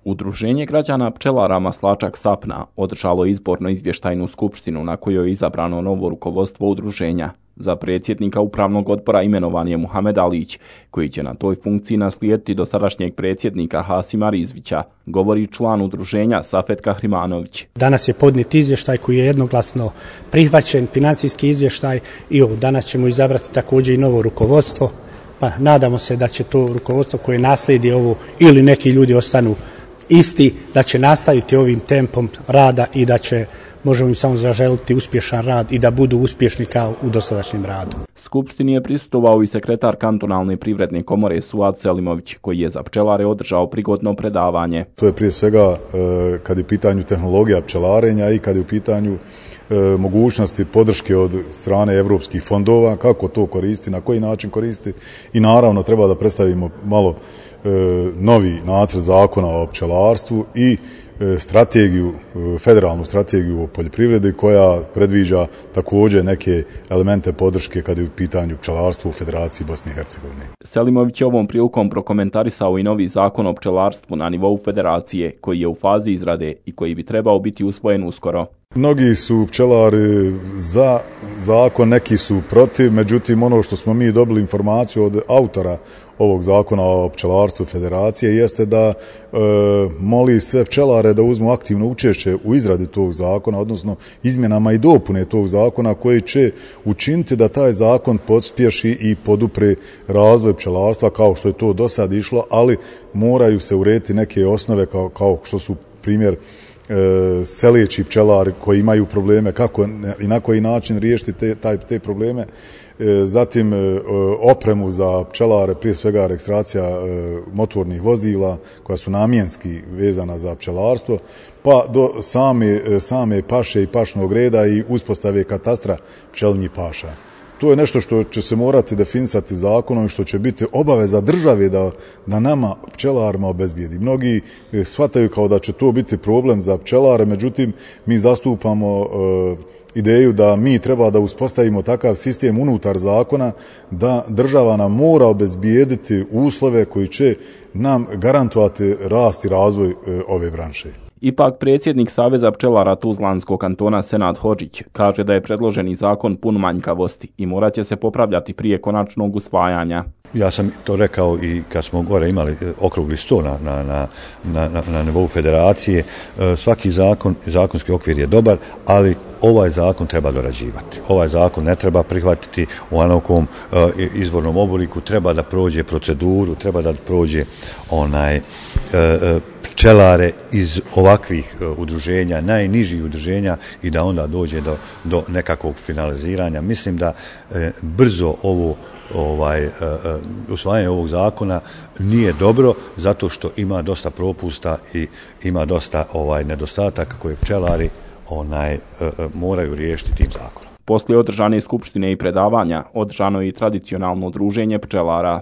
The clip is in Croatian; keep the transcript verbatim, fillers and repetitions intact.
Udruženje građana pčelara Maslačak Sapna održalo izborno izvještajnu skupštinu na kojoj je izabrano novo rukovodstvo udruženja. Za predsjednika upravnog odbora imenovan je Muhamed Alić, koji će na toj funkciji naslijediti dosadašnjeg predsjednika Hasima Rizvića, govori član udruženja Safet Kahrimanović. Danas je podnijet izvještaj koji je jednoglasno prihvaćen, financijski izvještaj, i ovo danas ćemo izabrati također i novo rukovodstvo. Pa nadamo se da će to rukovodstvo koje naslijedi ovo ili neki ljudi ostanu isti, da će nastaviti ovim tempom rada i da će, možemo im samo zaželiti uspješan rad i da budu uspješni kao u dosadašnjem radu. Skupštini je prisustvovao i sekretar kantonalne privredne komore Suad Selimović, koji je za pčelare održao prigodno predavanje. To je prije svega kad je u pitanju tehnologija pčelarenja i kad je u pitanju mogućnosti podrške od strane evropskih fondova, kako to koristi, na koji način koristi, i naravno treba da predstavimo malo novi nacrt zakona o pčelarstvu i strategiju, federalnu strategiju o poljoprivredi koja predviđa također neke elemente podrške kad je u pitanju pčelarstvo u Federaciji Bosne i Hercegovine. Selimović je ovom prilikom prokomentarisao i novi zakon o pčelarstvu na nivou Federacije, koji je u fazi izrade i koji bi trebao biti usvojen uskoro. Mnogi su pčelari za zakon, neki su protiv, međutim ono što smo mi dobili informaciju od autora ovog zakona o pčelarstvu Federacije jeste da e, moli sve pčelare da uzmu aktivno učešće u izradi tog zakona, odnosno izmjenama i dopune tog zakona koji će učiniti da taj zakon pospješi i podupre razvoj pčelarstva kao što je to do sad išlo, ali moraju se urediti neke osnove kao, kao što su primjer selijeći pčelari koji imaju probleme, kako i na koji način riješiti te, taj, te probleme. Zatim opremu za pčelare, prije svega registracija motornih vozila koja su namjenski vezana za pčelarstvo, pa do same, same paše i pašnog reda i uspostave katastra pčelinjih paša. To je nešto što će se morati definisati zakonom i što će biti obaveza države da, da nama pčelarima obezbijedi. Mnogi shvataju kao da će to biti problem za pčelare, međutim mi zastupamo e, ideju da mi treba da uspostavimo takav sistem unutar zakona da država nam mora obezbijediti uslove koji će nam garantovati rast i razvoj e, ove branše. Ipak predsjednik Saveza pčelara Tuzlanskog kantona Senad Hodžić kaže da je predloženi zakon pun manjkavosti i morat će se popravljati prije konačnog usvajanja. Ja sam to rekao i kad smo gore imali okrugli sto na, na, na, na, na nivou federacije. Svaki zakon, zakonski okvir je dobar, ali ovaj zakon treba dorađivati. Ovaj zakon ne treba prihvatiti u onokom uh, izvornom obliku, treba da prođe proceduru, treba da prođe onaj uh, pčelare iz ovakvih uh, udruženja, najnižih udruženja, i da onda dođe do, do nekakvog finaliziranja. Mislim da uh, brzo ovo ovaj uh, uh, usvajanje ovog zakona nije dobro, zato što ima dosta propusta i ima dosta ovaj nedostataka koje pčelari onaj uh, uh, moraju riješiti tim zakonom. Poslije održane skupštine i predavanja, održano je i tradicionalno druženje pčelara.